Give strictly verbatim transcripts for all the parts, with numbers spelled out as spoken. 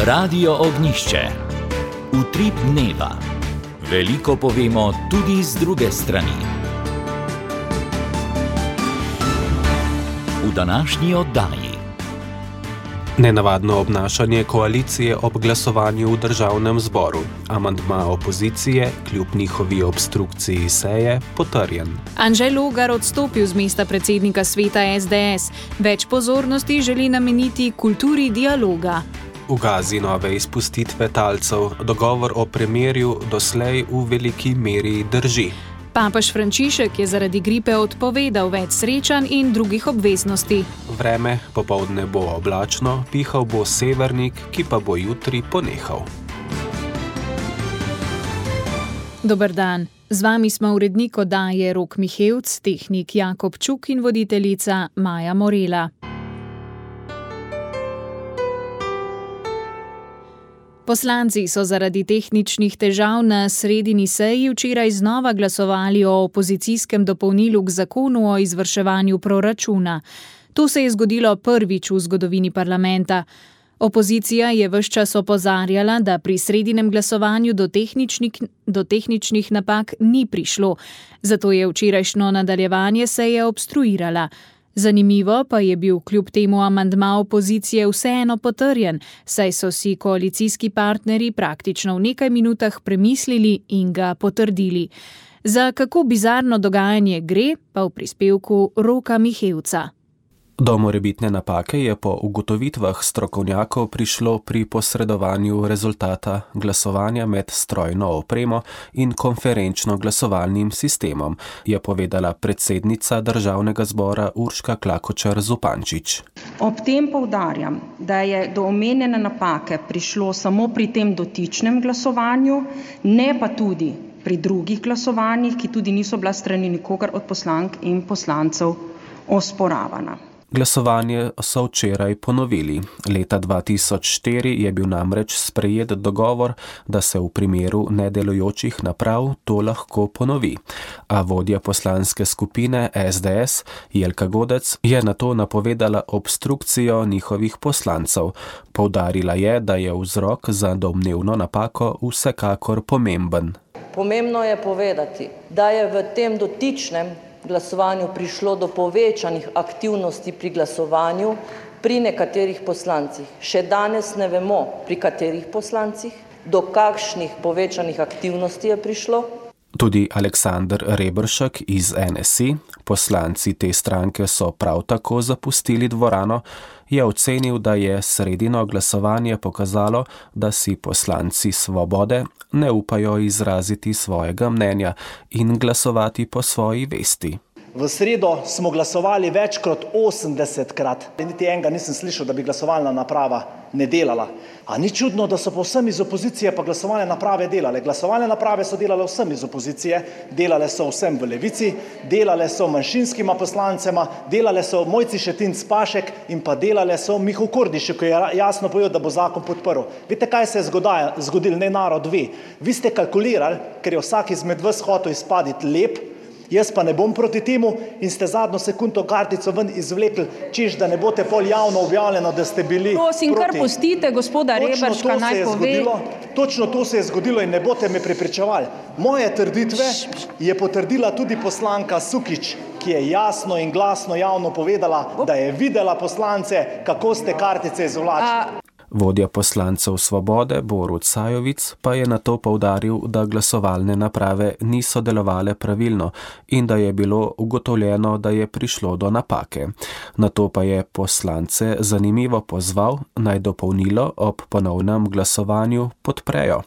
Radio Ognjišče. Utrip dneva. Veliko povemo tudi z druge strani. V današnji oddaji. Nenavadno obnašanje koalicije ob glasovanju v državnem zboru. Amandma opozicije, kljub njihovi obstrukciji seje, potrjen. Anže Logar odstopil z mesta predsednika sveta es de es. Več pozornosti želi nameniti kulturi dialoga. V Gazi nove izpustitve talcev, dogovor o premirju doslej v veliki meri drži. Papež Frančišek je zaradi gripe odpovedal več srečanj in drugih obveznosti. Vreme popoldne bo oblačno, pihal bo severnik, ki pa bo jutri ponehal. Dober dan. Z vami smo urednik oddaje Rok Mihevc, tehnik Jakob Čuk in voditeljica Maja Morela. Poslanci so zaradi tehničnih težav na sredini seji včeraj znova glasovali o opozicijskem dopolnilu k zakonu o izvrševanju proračuna. To se je zgodilo prvič v zgodovini parlamenta. Opozicija je ves čas opozarjala, da pri sredinem glasovanju do tehničnih, do tehničnih napak ni prišlo, zato je včerajšnjo nadaljevanje seje obstruirala. Zanimivo pa je bil kljub temu amandma opozicije vseeno potrjen, saj so si koalicijski partnerji praktično v nekaj minutah premislili in ga potrdili. Za kako bizarno dogajanje gre, pa v prispevku Roka Mihevca. Do morebitne napake je po ugotovitvah strokovnjakov prišlo pri posredovanju rezultata glasovanja med strojno opremo in konferenčno glasovalnim sistemom, je povedala predsednica Državnega zbora Urška Klakočar Zupančič. Ob tem poudarjam, da je do omenjene napake prišlo samo pri tem dotičnem glasovanju, ne pa tudi pri drugih glasovanjih, ki tudi niso bila strani nikogar od poslank in poslancev osporavana. Glasovanje so včeraj ponovili. Leta dva tisoč štiri je bil namreč sprejet dogovor, da se v primeru nedelujočih naprav to lahko ponovi. A vodja poslanske skupine es de es, Jelka Godec, je nato napovedala obstrukcijo njihovih poslancev. Poudarila je, da je vzrok za domnevno napako vsekakor pomemben. Pomembno je povedati, da je v tem dotičnem glasovanju prišlo do povečanih aktivnosti pri glasovanju pri nekaterih poslancih. Še danes ne vemo, pri katerih poslancih, do kakšnih povečanih aktivnosti je prišlo. Tudi Aleksander Reberšek iz en es i, poslanci te stranke so prav tako zapustili dvorano, je ocenil, da je sredino glasovanje pokazalo, da si poslanci Svobode ne upajo izraziti svojega mnenja in glasovati po svoji vesti. V sredo smo glasovali več kot osemdesetkrat. Niti enega nisem slišal, da bi glasovalna naprava ne delala. A ni čudno, da so povsem iz opozicije pa glasovalne naprave delale. Glasovalne naprave so delale vsem iz opozicije, delale so vsem v Levici, delale so manjšinskima poslancema, delale so Mojci Šetinc Pašek in pa delale so Mihu Kordišu, ki je jasno povedal, da bo zakon podprl. Veste, kaj se je zgodilo, ne narod ve. Vi ste kalkulirali, ker je vsak izmed vas hotel izpaditi lep, jaz pa ne bom proti temu, in ste zadnjo sekundo kartico ven izvlekli, češ, da ne boste pol javno objavljeno, da ste bili Prosim, proti. kar pustite gospoda Reberška, naj pove. Točno to se je zgodilo in ne boste me prepričevali. Moje trditve je potrdila tudi poslanka Sukič, ki je jasno in glasno javno povedala, da je videla poslance, kako ste kartice izvlačili. Vodja poslancev Svobode Borut Sajovic pa je nato poudaril, da glasovalne naprave niso delovale pravilno in da je bilo ugotovljeno, da je prišlo do napake. Nato pa je poslance zanimivo pozval, naj dopolnilo ob ponovnem glasovanju podprejo.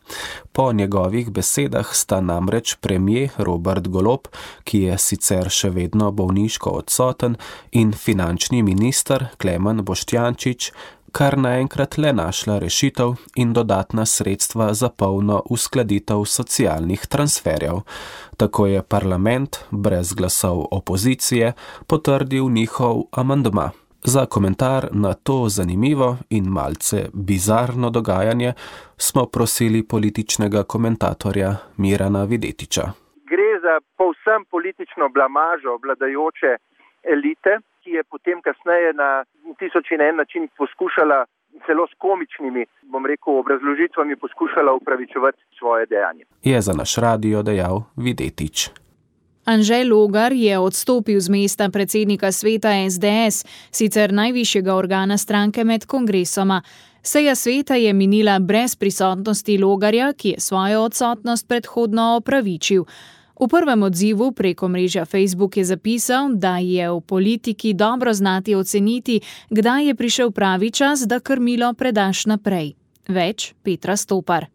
Po njegovih besedah sta namreč premier Robert Golob, ki je sicer še vedno bolniško odsoten, in finančni minister Klemen Boštjančič kar naenkrat le našla rešitev in dodatna sredstva za polno uskladitev socialnih transferjev. Tako je parlament brez glasov opozicije potrdil njihov amandma. Za komentar na to zanimivo in malce bizarno dogajanje smo prosili političnega komentatorja Mirana Videtiča. Gre za povsem politično blamažo vladajoče elite, ki je potem kasneje na tisoč in en način poskušala celo s komičnimi, bom rekel, obrazložitvami poskušala upravičevati svoje dejanje. Je za naš radio dejal Videtič. Anže Logar je odstopil z mesta predsednika sveta es de es, sicer najvišjega organa stranke med kongresoma. Seja sveta je minila brez prisotnosti Logarja, ki je svojo odsotnost predhodno opravičil. V prvem odzivu preko mreža Facebook je zapisal, da je v politiki dobro znati oceniti, kdaj je prišel pravi čas, da krmilo predaš naprej. Več Petra Stopar.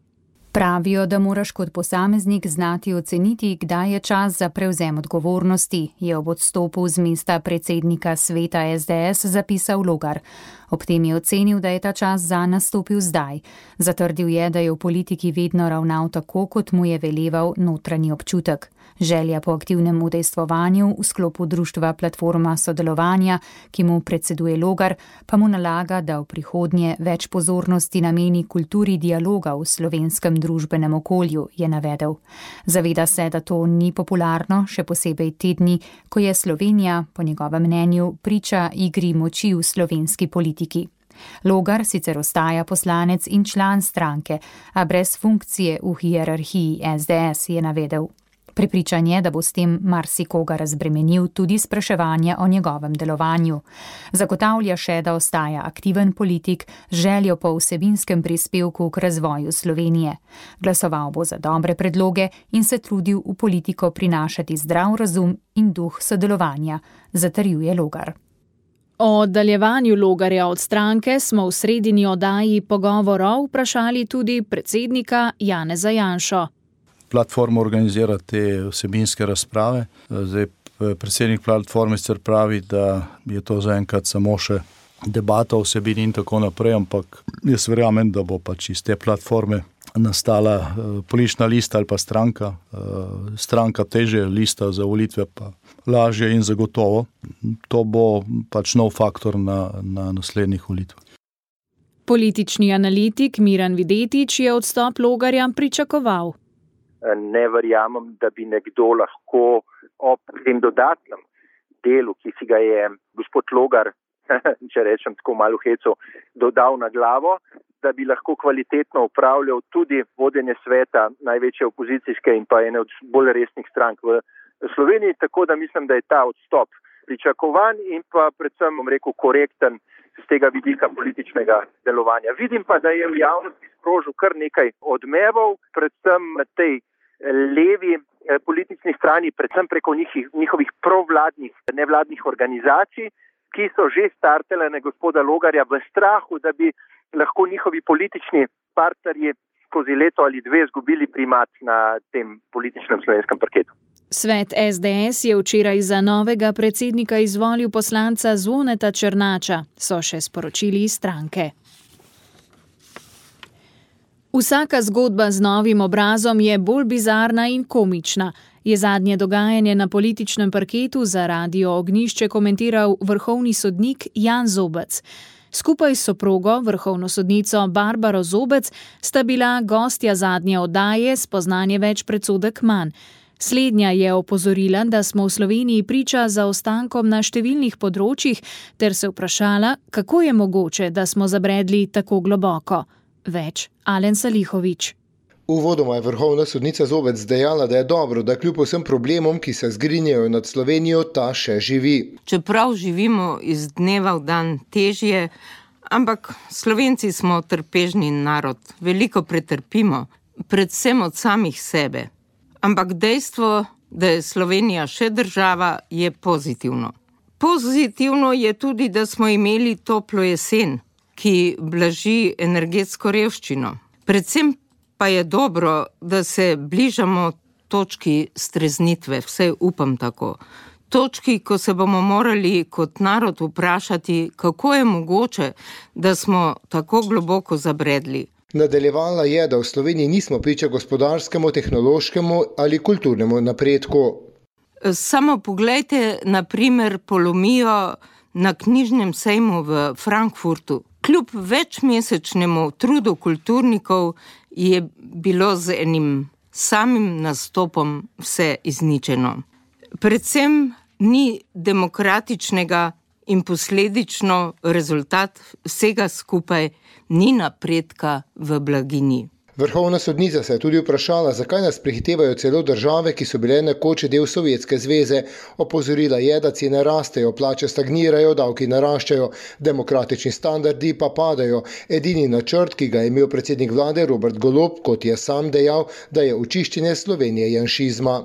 Pravijo, da moraš kot posameznik znati oceniti, kdaj je čas za prevzem odgovornosti, je ob odstopu z mesta predsednika sveta es de es zapisal Logar. Ob tem je ocenil, da je ta čas zanj nastopil zdaj. Zatrdil je, da je v politiki vedno ravnal tako, kot mu je veleval notranji občutek. Želja po aktivnem udejstvovanju v sklopu društva Platforma sodelovanja, ki mu predseduje Logar, pa mu nalaga, da v prihodnje več pozornosti nameni kulturi dialoga v slovenskem družbenem okolju, je navedel. Zaveda se, da to ni popularno, še posebej te dni, ko je Slovenija, po njegovem mnenju, priča igri moči v slovenski politiki. Logar sicer ostaja poslanec in član stranke, a brez funkcije v hierarhiji es de es, je navedel. Prepričan je, da bo s tem marsikoga razbremenil tudi spraševanje o njegovem delovanju. Zagotavlja še, da ostaja aktiven politik z željo po vsebinskem prispevku k razvoju Slovenije. Glasoval bo za dobre predloge in se trudil v politiko prinašati zdrav razum in duh sodelovanja, zatrjuje Logar. O oddaljevanju Logarja od stranke smo v sredini oddaji pogovorov vprašali tudi predsednika Janeza Janšo. Platforma organizira te vsebinske razprave. Zdaj, predsednik platforme sicer pravi, da je to zaenkrat samo še debata o vsebini in tako naprej, ampak jaz verjamem, da bo pač iz te platforme nastala politična lista ali pa stranka. Stranka teže, lista za volitve pa lažje in zagotovo. To bo pač nov faktor na, na naslednjih volitvah. Politični analitik Miran Videtič je odstop Logarja pričakoval. Ne verjamem, da bi nekdo lahko ob tem dodatnem delu, ki si ga je gospod Logar, če rečem tako malo heco, dodal na glavo, da bi lahko kvalitetno upravljal tudi vodenje sveta največje opozicijske in pa ene od bolj resnih strank v Sloveniji, tako da mislim, da je ta odstop pričakovan in pa predvsem, bom rekel, korekten z tega vidika političnega delovanja. Vidim pa, da je v javnosti sprožil kar nekaj odmevov, predvsem na tej levi politični strani, predvsem preko njih, njihovih provladnih, nevladnih organizacij, ki so že startele na gospoda Logarja v strahu, da bi lahko njihovi politični partnerji skozi leto ali dve izgubili primat na tem političnem slovenskem parketu. Svet es de es je včeraj za novega predsednika izvolil poslanca Zvoneta Černača, so še sporočili iz stranke. Vsaka zgodba z novim obrazom je bolj bizarna in komična, je zadnje dogajanje na političnem parketu za Radio Ognjišče komentiral vrhovni sodnik Jan Zobec. Skupaj s soprogo, vrhovno sodnico Barbaro Zobec, sta bila gostja zadnje oddaje Spoznanje več predsodek manj. Slednja je opozorila, da smo v Sloveniji priča zaostankom na številnih področjih, ter se vprašala, kako je mogoče, da smo zabredli tako globoko. Več Alen Salihovič. Uvodoma je vrhovna sodnica Zobec dejala, da je dobro, da kljub vsem problemom, ki se zgrinjajo nad Slovenijo, ta še živi. Čeprav živimo iz dneva v dan težje, ampak Slovenci smo trpežni narod, veliko pretrpimo, predvsem od samih sebe. Ampak dejstvo, da je Slovenija še država, je pozitivno. Pozitivno je tudi, da smo imeli toplo jesen, ki blaži energetsko revščino. Predvsem pa je dobro, da se bližamo točki streznitve, vsaj upam tako. Točki, ko se bomo morali kot narod vprašati, kako je mogoče, da smo tako globoko zabredli. Nadaljevala je, da v Sloveniji nismo priča gospodarskemu, tehnološkemu ali kulturnemu napredku. Samo poglejte, na primer, polomijo na knjižnem sejmu v Frankfurtu. Kljub večmesečnemu trudu kulturnikov je bilo z enim samim nastopom vse izničeno. Predvsem ni demokratičnega in posledično rezultat vsega skupaj ni napredka v blaginji. Vrhovna sodnica se je tudi vprašala, zakaj nas prehitevajo celo države, ki so bile nekoč del Sovjetske zveze. Opozorila je, da cene rastejo, plače stagnirajo, davki naraščajo, demokratični standardi pa padajo. Edini načrt, ki ga je imel predsednik vlade Robert Golob, kot je sam dejal, da je očiščenje Slovenije janšizma.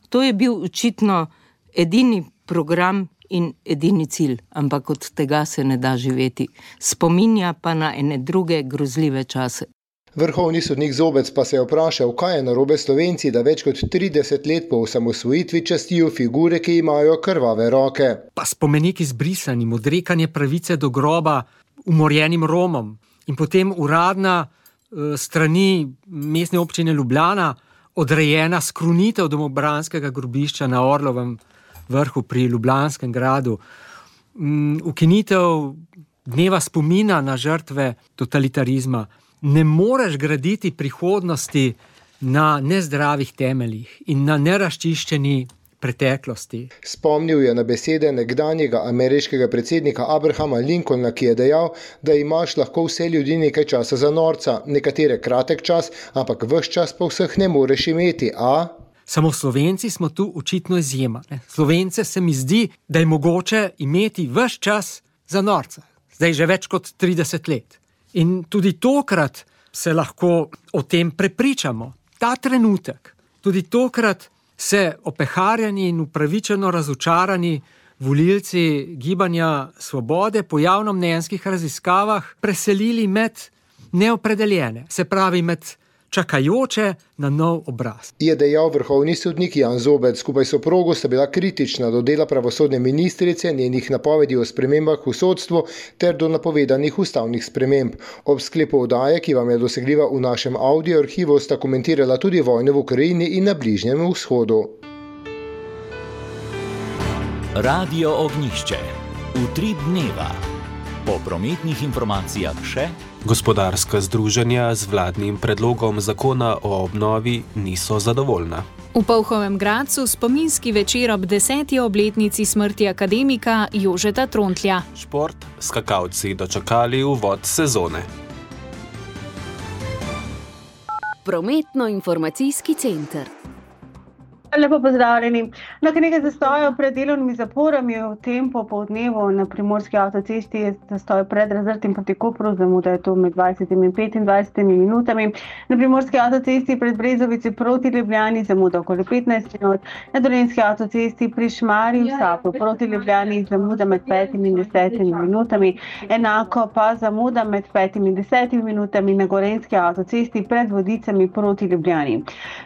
To je bil očitno edini program in edini cilj, ampak od tega se ne da živeti. Spominja pa na ene druge grozljive čase. Vrhovni sodnik Zobec pa se je vprašal, kaj je narobe Slovenci, da več kot trideset let po osamosvojitvi častijo figure, ki imajo krvave roke. Pa spomenik izbrisanim, odrekanje pravice do groba umorjenim Romom in potem uradna uh, strani mestne občine Ljubljana odrejena skrunitev domobranskega grobišča na Orlovem vrhu pri Ljubljanskem gradu, um, ukinitev dneva spomina na žrtve totalitarizma. Ne moreš graditi prihodnosti na nezdravih temeljih in na neraščiščeni preteklosti. Spomnil je na besede nekdanjega ameriškega predsednika Abrahama Lincolna, ki je dejal, da imaš lahko vse ljudi nekaj časa za norca, nekatere kratek čas, ampak ves čas pa vseh ne moreš imeti, a? Samo Slovenci smo tu očitno izjema. Ne? Slovence se mi zdi, da je mogoče imeti ves čas za norca. Zdaj že več kot trideset let. In tudi tokrat se lahko o tem prepričamo. Ta trenutek, tudi tokrat se opeharjeni in upravičeno razočarani volilci Gibanja Svobode po javnomnenjskih raziskavah preselili med neopredeljene, se pravi med čakajoče na nov obraz. Je dejal vrhovni sodnik Jan Zobec. Skupaj s soprogo sta bila kritična do dela pravosodne ministrice, njenih napovedi o spremembah v sodstvu ter do napovedanih ustavnih sprememb. Ob sklepu oddaje, ki vam je dosegljiva v našem audio arhivu, sta komentirala tudi vojne v Ukrajini in na Bližnjem vzhodu. Radio Ognjišče. Utrip dneva. Po prometnih informacijah še gospodarska združenja z vladnim predlogom zakona o obnovi niso zadovoljna. V Polhovem Gradcu spominski večer ob deseti obletnici smrti akademika Jožeta Trontlja. Šport, skakalci dočakali uvod sezone. Prometno-informacijski center. Lepo pozdravljeni. Na kar nekaj zastojev pred delovnimi zaporami v tem popoldnevu na Primorski avtocesti je zastoj pred Razrtim proti Kopru, zamuda je to med dvajsetimi in petindvajsetimi minutami. Na Primorski avtocesti pred Brezovici proti Ljubljani zamuda okoli petnajst minut. Na Dolenjski avtocesti pri Šmarju v Sapu proti Ljubljani zamuda med petimi in desetimi minutami. Enako pa zamuda med petimi in desetimi minutami na Gorenjski avtocesti pred Vodicami proti Ljubljani.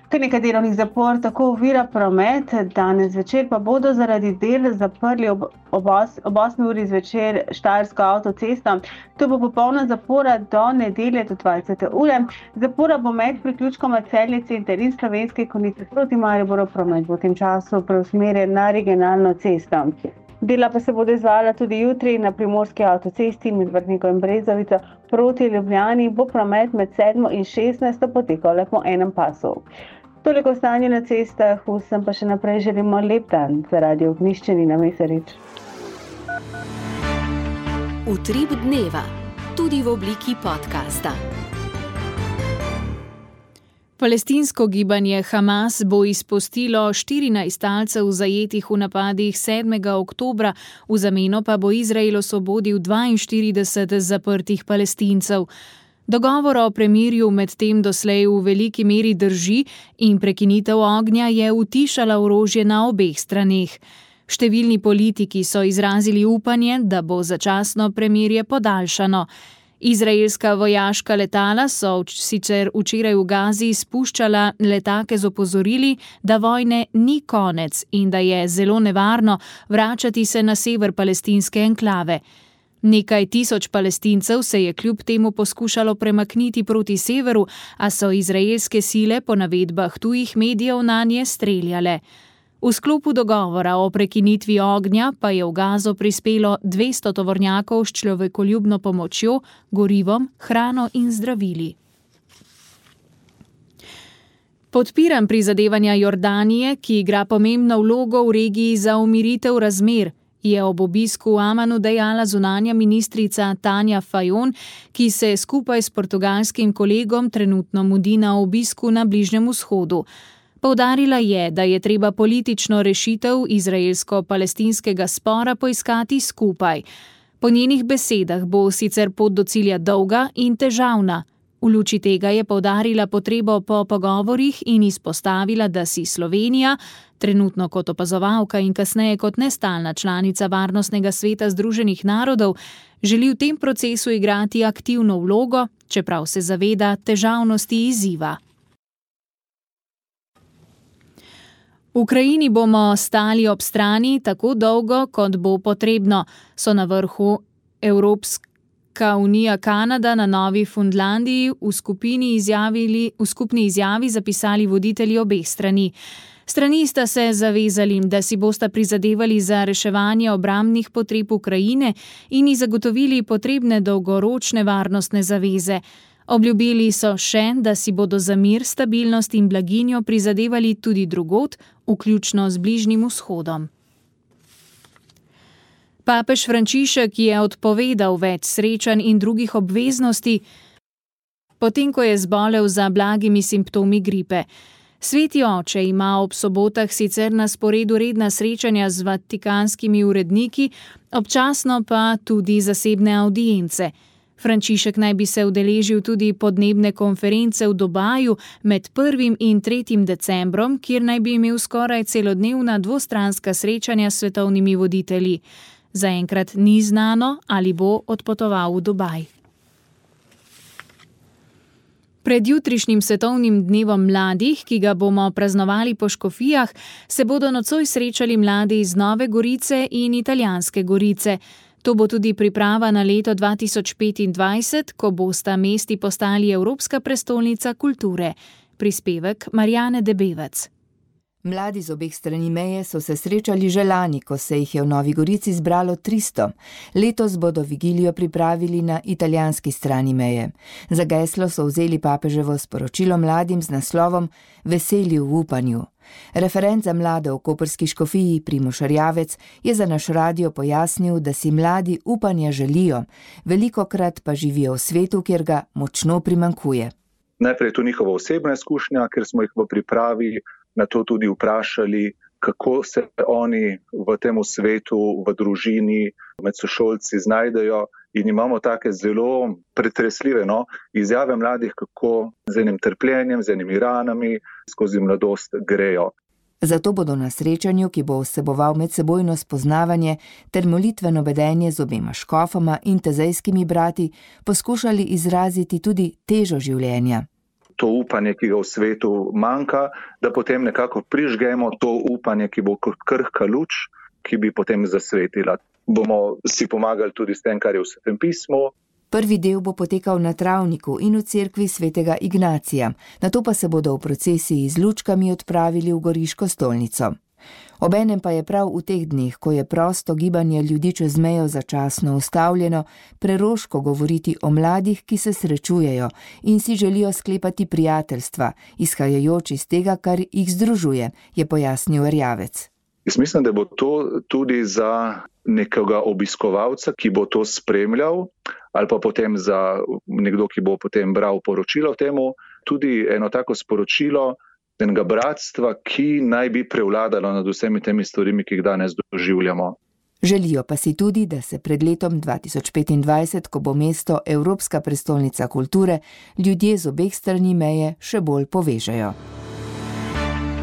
Kar nekaj delovnih zapor tako ovira promet, danes zvečer pa bodo zaradi del zaprli ob, ob, os, ob osmi uri zvečer Štajersko avtocesto. To bo popolna zapora do nedelje do dvajsete ure. Zapora bo med priključkoma Celje center in Slovenske Konjice proti Mariboru, promet bo v tem času preusmerjen na regionalno cesto. Dela pa se bodo izvajala tudi jutri na Primorski avtocesti med Vrhnikom in Brezovico proti Ljubljani, bo promet med sedmo in šestnajsto potekal le po enem pasu. Toliko o stanju na cestah, vsem pa še naprej želimo lep dan za Radio Ognjišče, Nina Mesarič. Utrip dneva, tudi v obliki podcasta. Palestinsko gibanje Hamas bo izpustilo štirinajst talcev zajetih v napadih sedmega oktobra, v zameno pa bo Izrael osvobodil dvainštirideset zaprtih Palestincev. Dogovor o premirju medtem doslej v veliki meri drži in prekinitev ognja je utišala orožje na obeh straneh. Številni politiki so izrazili upanje, da bo začasno premirje podaljšano. Izraelska vojaška letala so sicer včeraj v Gazi spuščala letake z opozorili, da vojne ni konec in da je zelo nevarno vračati se na sever palestinske enklave. Nekaj tisoč Palestincev se je kljub temu poskušalo premakniti proti severu, a so izraelske sile po navedbah tujih medijev nanje streljale. V sklopu dogovora o prekinitvi ognja pa je v Gazo prispelo dvesto tovornjakov s človekoljubno pomočjo, gorivom, hrano in zdravili. Podpiram prizadevanja Jordanije, ki igra pomembno vlogo v regiji za umiritev razmer, je ob obisku v Amanu dejala zunanja ministrica Tanja Fajon, ki se skupaj s portugalskim kolegom trenutno mudi na obisku na Bližnjem vzhodu. Poudarila je, da je treba politično rešitev izraelsko-palestinskega spora poiskati skupaj. Po njenih besedah bo sicer pot do cilja dolga in težavna. V luči tega je poudarila potrebo po pogovorih in izpostavila, da si Slovenija, trenutno kot opazovalka in kasneje kot nestalna članica Varnostnega sveta Združenih narodov, želi v tem procesu igrati aktivno vlogo, čeprav se zaveda težavnosti izziva. V Ukrajini bomo stali ob strani tako dolgo, kot bo potrebno, so na vrhu Evropske unija Kanada na Novi Fundlandiji v skupini izjavili, v skupni izjavi zapisali voditelji obeh strani. Strani sta se zavezali, da si bosta prizadevali za reševanje obrambnih potreb Ukrajine in ji zagotovili potrebne dolgoročne varnostne zaveze. Obljubili so še, da si bodo za mir, stabilnost in blaginjo prizadevali tudi drugod, vključno z Bližnjim vzhodom. Papež Frančišek je odpovedal več srečanj in drugih obveznosti, potem ko je zbolel za blagimi simptomi gripe. Sveti oče ima ob sobotah sicer na sporedu redna srečanja z vatikanskimi uredniki, občasno pa tudi zasebne avdience. Frančišek naj bi se udeležil tudi podnebne konference v Dubaju med prvim in tretjim decembrom, kjer naj bi imel skoraj celodnevna dvostranska srečanja s svetovnimi voditelji. Zaenkrat ni znano, ali bo odpotoval v Dubaj. Pred jutrišnjim svetovnim dnevom mladih, ki ga bomo praznovali po škofijah, se bodo nocoj srečali mladi iz Nove Gorice in Italijanske Gorice. To bo tudi priprava na leto dva tisoč petindvajset, ko bosta mesti postali Evropska prestolnica kulture. Prispevek Marjane Debevec. Mladi z obeh strani meje so se srečali že lani, ko se jih je v Novi Gorici zbralo tristo. Letos bodo vigilijo pripravili na italijanski strani meje. Za geslo so vzeli papeževo sporočilo mladim z naslovom Veseli v upanju. Referent za mlade v koprski škofiji Primož Erjavec je za naš radio pojasnil, da si mladi upanja želijo, velikokrat pa živijo v svetu, kjer ga močno primanjkuje. Najprej je to njihova osebna izkušnja, ker smo jih v pripravi na to tudi vprašali, kako se oni v tem svetu, v družini, med sošolci znajdejo, in imamo take zelo pretresljive no, izjave mladih, kako z enim trpljenjem, z enimi ranami skozi mladost grejo. Zato bodo na srečanju, ki bo vseboval medsebojno spoznavanje ter molitveno vedenje z obema škofoma in tezejskimi brati, poskušali izraziti tudi težo življenja. To upanje, ki ga v svetu manjka, da potem nekako prižgemo to upanje, ki bo kot krhka luč, ki bi potem zasvetila. Bomo si pomagali tudi s tem, kar je v Svetem pismu. Prvi del bo potekal na travniku in v cerkvi svetega Ignacija, nato pa se bodo v procesiji z lučkami odpravili v Goriško stolnico. Obenem pa je prav v teh dneh, ko je prosto gibanje ljudi čez mejo začasno ustavljeno, preroško govoriti o mladih, ki se srečujejo in si želijo sklepati prijateljstva, izhajajoč iz tega, kar jih združuje, je pojasnil Erjavec. Jaz mislim, da bo to tudi za nekega obiskovalca, ki bo to spremljal, ali pa potem za nekdo, ki bo potem bral poročilo temu, tudi eno tako sporočilo enega bratstva, ki naj bi prevladalo nad vsemi temi stvarimi, ki jih danes doživljamo. Želijo pa si tudi, da se pred letom dva tisoč petindvajset, ko bo mesto Evropska prestolnica kulture, ljudje z obeh strani meje še bolj povežejo.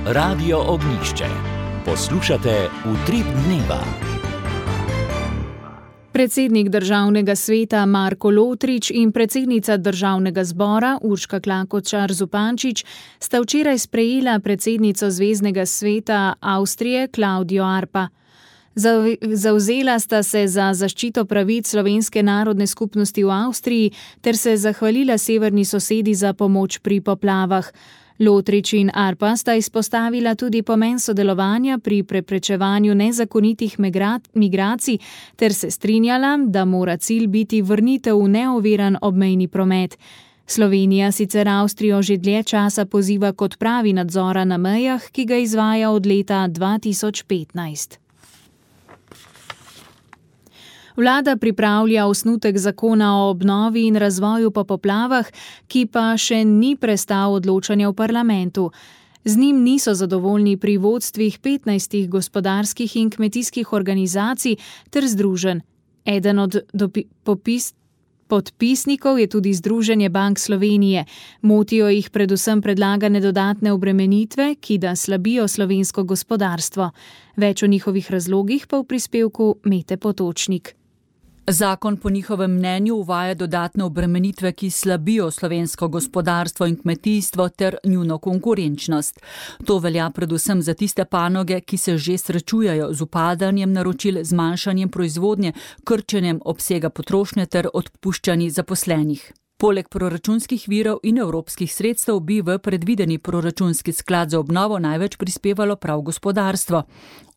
Radio Ognjišče. Poslušate Utrip dneva. Predsednik Državnega sveta Marko Lotrič in predsednica Državnega zbora Urška Klakočar Zupančič sta včeraj sprejela predsednico Zveznega sveta Avstrije Klaudijo Arpa. Zavzela sta se za zaščito pravic slovenske narodne skupnosti v Avstriji ter se zahvalila severni sosedi za pomoč pri poplavah. Lotrič in Arpa sta izpostavila tudi pomen sodelovanja pri preprečevanju nezakonitih migracij ter se strinjala, da mora cilj biti vrnitev v neoviran obmejni promet. Slovenija sicer Avstrijo že dlje časa poziva k odpravi nadzora na mejah, ki ga izvaja od leta dva tisoč petnajst. Vlada pripravlja osnutek zakona o obnovi in razvoju po poplavah, ki pa še ni prestal odločanja v parlamentu. Z njim niso zadovoljni pri vodstvih petnajstih gospodarskih in kmetijskih organizacij ter združenj. Eden od dopi, popis, podpisnikov je tudi Združenje bank Slovenije. Motijo jih predvsem predlagane dodatne obremenitve, ki da slabijo slovensko gospodarstvo. Več o njihovih razlogih pa v prispevku Mete Potočnik. Zakon po njihovem mnenju uvaja dodatne obremenitve, ki slabijo slovensko gospodarstvo in kmetijstvo ter njuno konkurenčnost. To velja predvsem za tiste panoge, ki se že srečujejo z upadanjem naročil, zmanjšanjem proizvodnje, krčenjem obsega potrošnje ter odpuščanji zaposlenih. Poleg proračunskih virov in evropskih sredstev bi v predvideni proračunski sklad za obnovo največ prispevalo prav gospodarstvo.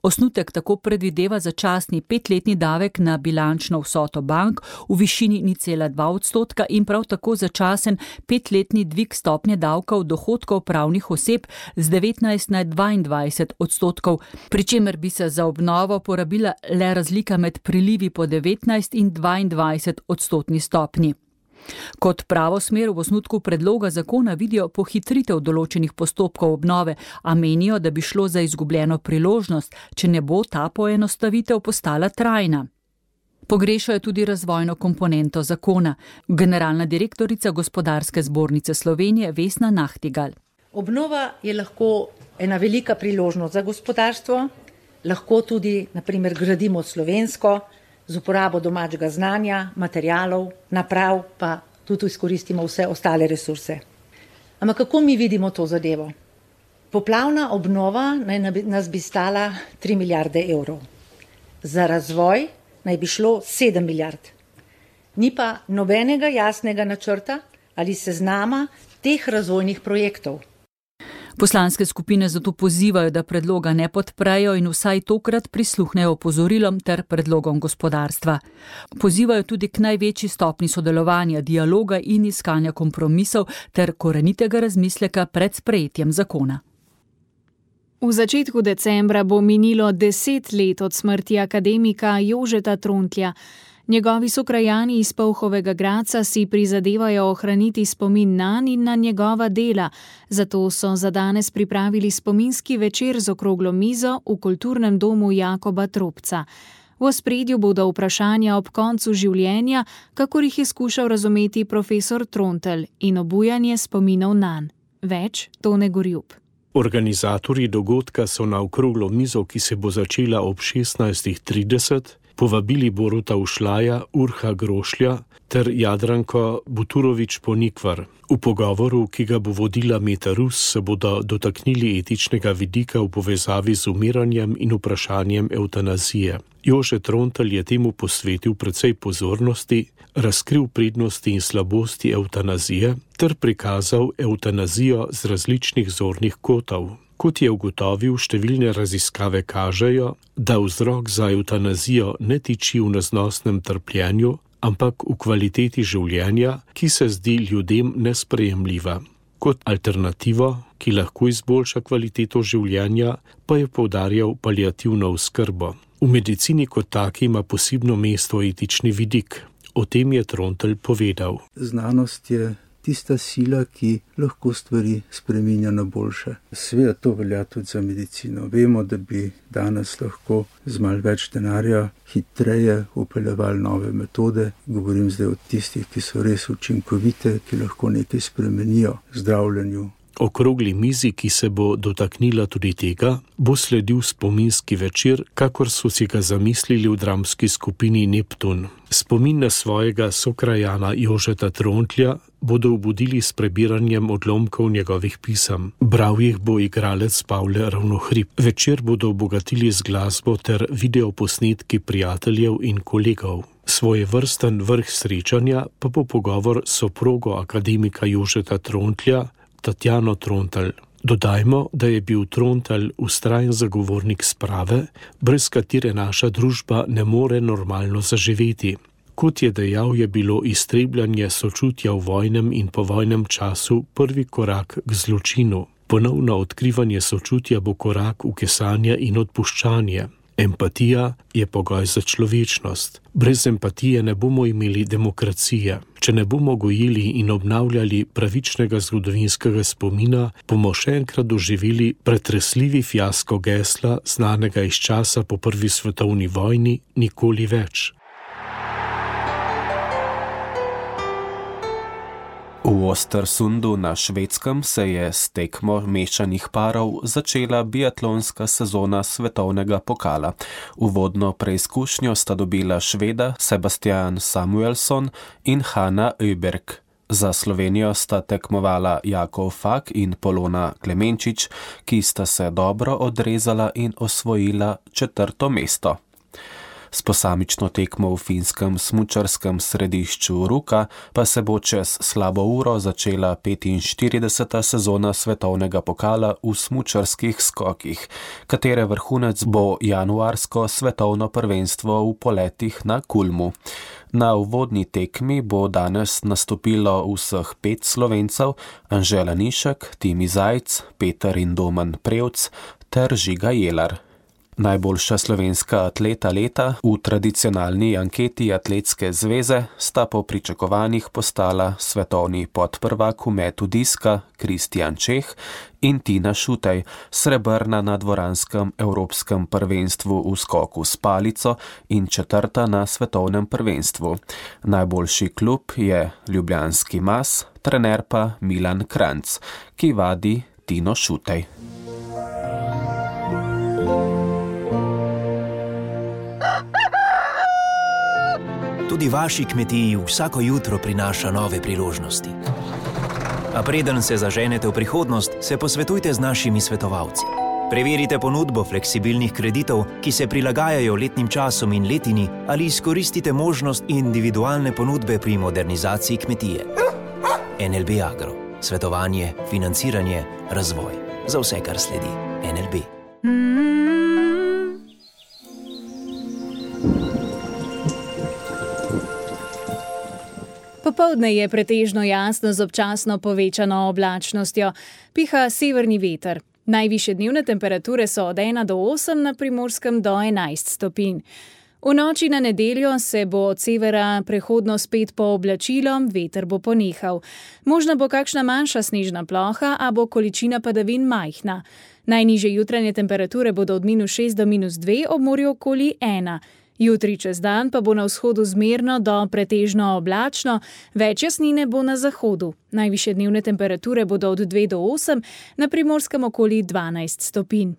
Osnutek tako predvideva začasni petletni davek na bilančno vsoto bank v višini nič cela dva odstotka in prav tako začasen petletni dvig stopnje davkov dohodkov pravnih oseb z devetnajst na dvaindvajset odstotkov, pri čemer bi se za obnovo porabila le razlika med prilivi po devetnajst in dvaindvajset odstotni stopnji. Kot pravo smer v osnutku predloga zakona vidijo pohitritev določenih postopkov obnove, a menijo, da bi šlo za izgubljeno priložnost, če ne bo ta poenostavitev postala trajna. Pogrešajo tudi razvojno komponento zakona. Generalna direktorica Gospodarske zbornice Slovenije Vesna Nahtigal. Obnova je lahko ena velika priložnost za gospodarstvo, lahko tudi, na primer, gradimo slovensko, z uporabo domačega znanja, materialov, naprav, pa tudi izkoristimo vse ostale resurse. Ampak kako mi vidimo to zadevo? Poplavna obnova naj nas bi stala tri milijarde evrov. Za razvoj naj bi šlo sedem milijard. Ni pa nobenega jasnega načrta ali seznama teh razvojnih projektov. Poslanske skupine zato pozivajo, da predloga ne podprejo in vsaj tokrat prisluhnejo opozorilom ter predlogom gospodarstva. Pozivajo tudi k največji stopni sodelovanja, dialoga in iskanja kompromisov ter korenitega razmisleka pred sprejetjem zakona. V začetku decembra bo minilo deset let od smrti akademika Jožeta Trontlja. Njegovi sokrajani iz Polhovega Gradca si prizadevajo ohraniti spomin nanj in na njegova dela, zato so za danes pripravili spominski večer z okroglo mizo v kulturnem domu Jakoba Tropca. V ospredju bodo vprašanja ob koncu življenja, kakor jih je skušal razumeti profesor Trontelj, in obujanje spominov nanj. Več Tone Gorjup. Organizatorji dogodka so na okroglo mizo, ki se bo začela ob šestnajstih trideset, povabili Boruta Ušlaja, Urha Grošlja ter Jadranko Buturovič-Ponikvar. V pogovoru, ki ga bo vodila Meta Rus, se bodo dotaknili etičnega vidika v povezavi z umiranjem in vprašanjem evtanazije. Jože Trontelj je temu posvetil precej pozornosti, razkril prednosti in slabosti evtanazije ter prikazal evtanazijo z različnih zornih kotov. Kot je ugotovil, številne raziskave kažejo, da vzrok za evtanazijo ne tiči v neznosnem trpljenju, ampak v kvaliteti življenja, ki se zdi ljudem nesprejemljiva. Kot alternativo, ki lahko izboljša kvaliteto življenja, pa je poudarjal paliativno oskrbo. V medicini kot taki ima posebno mesto etični vidik. O tem je Trontelj povedal. Znanost je tista sila, ki lahko stvari spreminja na boljše. Seveda to velja tudi za medicino. Vemo, da bi danes lahko z malo več denarja hitreje upeljevali nove metode. Govorim zdaj o tistih, ki so res učinkovite, ki lahko nekaj spremenijo v zdravljenju. Okrogli mizi, ki se bo dotaknila tudi tega, bo sledil spominski večer, kakor so si ga zamislili v dramski skupini Neptun. Spomin na svojega sokrajana Jožeta Trontlja bodo obudili s prebiranjem odlomkov njegovih pisem. Bral jih bo igralec Pavle Ravnohrib. Večer bodo obogatili z glasbo ter videoposnetki prijateljev in kolegov. Svoje vrsten vrh srečanja pa bo pogovor s soprogo akademika Jožeta Trontlja, Tatjano Trontelj. Dodajmo, da je bil Trontelj vztrajen zagovornik sprave, brez katere naša družba ne more normalno zaživeti. Kot je dejal, je bilo iztrebljanje sočutja v vojnem in povojnem času prvi korak k zločinu. Ponovno odkrivanje sočutja bo korak v kesanje in odpuščanje. Empatija je pogoj za človečnost. Brez empatije ne bomo imeli demokracije. Če ne bomo gojili in obnavljali pravičnega zgodovinskega spomina, bomo še enkrat doživeli pretresljivi fiasko gesla, znanega iz časa po prvi svetovni vojni, nikoli več. V Ostersundu na Švedskem se je s tekmo mešanih parov začela biatlonska sezona svetovnega pokala. Uvodno preizkušnjo sta dobila Šveda Sebastian Samuelsson in Hanna Öberg. Za Slovenijo sta tekmovala Jakov Fak in Polona Klemenčič, ki sta se dobro odrezala in osvojila četrto mesto. S posamično tekmo v finskem smučarskem središču Ruka pa se bo čez slabo uro začela petinštirideseta sezona svetovnega pokala v smučarskih skokih, katere vrhunec bo januarsko svetovno prvenstvo v poletih na Kulmu. Na uvodni tekmi bo danes nastopilo vseh pet Slovencev, Anžela Nišek, Timi Zajc, Peter in Domen Prevc ter Žiga Jelar. Najboljša slovenska atleta leta v tradicionalni anketi Atletske zveze sta po pričakovanjih postala svetovni podprvak v metu diska Kristjan Čeh in Tina Šutej, srebrna na dvoranskem evropskem prvenstvu v skoku s palico in četrta na svetovnem prvenstvu. Najboljši klub je ljubljanski Mas, trener pa Milan Kranjc, ki vadi Tino Šutej. Tudi vaši kmetiji vsako jutro prinaša nove priložnosti. A preden se zaženete v prihodnost, se posvetujte z našimi svetovalci. Preverite ponudbo fleksibilnih kreditov, ki se prilagajajo letnim časom in letini, ali izkoristite možnost individualne ponudbe pri modernizaciji kmetije. N L B Agro. Svetovanje, financiranje, razvoj. Za vse, kar sledi. N L B. Popoldne je pretežno jasno z občasno povečano oblačnostjo. Piha severni veter. Najvišje dnevne temperature so od ena do osem, na Primorskem do enajst stopinj. V noči na nedeljo se bo od severa prehodno spet pooblačilo, veter bo ponehal. Možna bo kakšna manjša snežna ploha, a bo količina padavin majhna. Najnižje jutranje temperature bodo od minus šest do minus dve, ob morju okoli ena. Jutri čez dan pa bo na vzhodu zmerno do pretežno oblačno, več jasnine bo na zahodu. Najvišje dnevne temperature bodo od dve do osem, na Primorskem okoli dvanajst stopinj.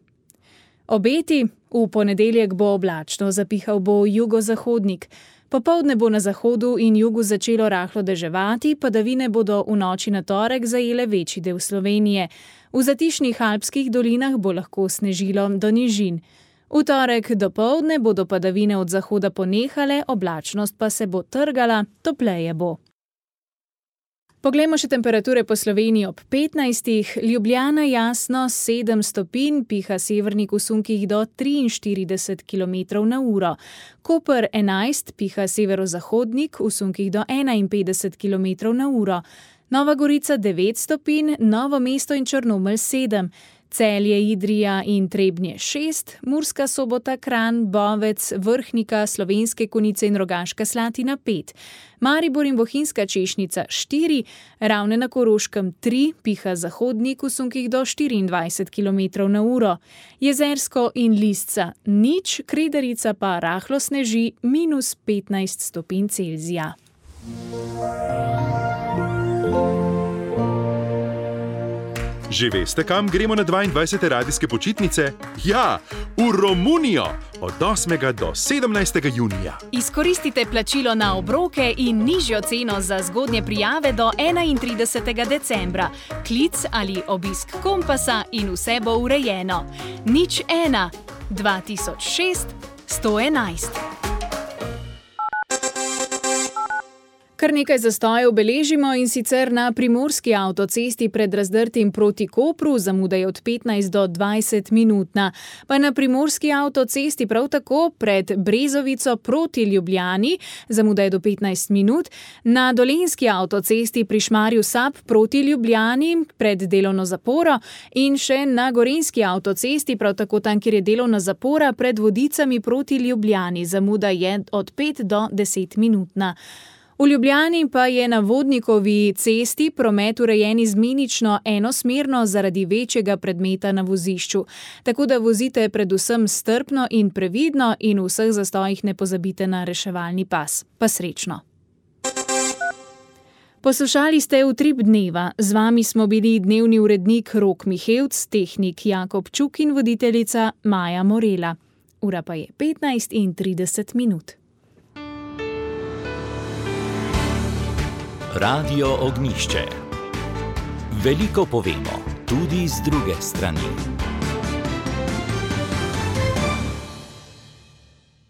Obeti: v ponedeljek bo oblačno, zapihal bo jugozahodnik. Popoldne bo na zahodu in jugu začelo rahlo deževati, padavine bodo v noči na torek zajele večji del Slovenije. V zatišnih alpskih dolinah bo lahko snežilo do nižin. V torek dopoldne bodo padavine od zahoda ponehale, oblačnost pa se bo trgala, topleje bo. Poglejmo še temperature po Sloveniji ob petnajstih. Ljubljana jasno sedem stopinj, piha severnik v sunkih do triinštirideset kilometrov na uro. Koper enajst, piha severozahodnik v sunkih do enainpetdeset kilometrov na uro. Nova Gorica devet stopinj, Novo mesto in Črnomelj sedem. Celje, Idrija in Trebnje šest, Murska Sobota, Kranj, Bovec, Vrhnika, Slovenske Konjice in Rogaška Slatina pet, Maribor in Bohinjska Češnica štiri, Ravne na Koroškem tri, piha zahodnik v sunkih do štiriindvajset kilometrov na uro, Jezersko in Lisca nič, Kredarica pa rahlo sneži minus petnajst stopinj Celzija. Že veste, kam gremo na dvaindvajsete radijske počitnice? Ja, v Romunijo! Od osmega do sedemnajstega junija. Izkoristite plačilo na obroke in nižjo ceno za zgodnje prijave do enaintridesetega decembra. Klic ali obisk Kompasa in vse bo urejeno. Nič ena, dva tisoč šest, sto enajst. Kar nekaj zastojev beležimo, in sicer na primorski avtocesti pred Razdrtim proti Kopru, zamuda je od petnajst do dvajset minutna. Pa na primorski avtocesti prav tako pred Brezovico proti Ljubljani, zamuda je do petnajst minut. Na dolenjski avtocesti pri Šmarju Sap proti Ljubljani pred delovno zaporo in še na gorenjski avtocesti, prav tako tam, kjer je delovna zapora, pred Vodicami proti Ljubljani, zamuda je od pet do deset minutna. V Ljubljani pa je na Vodnikovi cesti promet urejen izmenično enosmerno zaradi večjega predmeta na vozišču. Tako da vozite predvsem strpno in previdno in v vseh zastojih ne pozabite na reševalni pas. Pa srečno! Poslušali ste Utrip dneva. Z vami smo bili dnevni urednik Rok Mihevc, tehnik Jakob Čuk in voditeljica Maja Morela. Ura pa je petnajst in trideset minut. Radio Ognjišče. Veliko povemo, tudi z druge strani.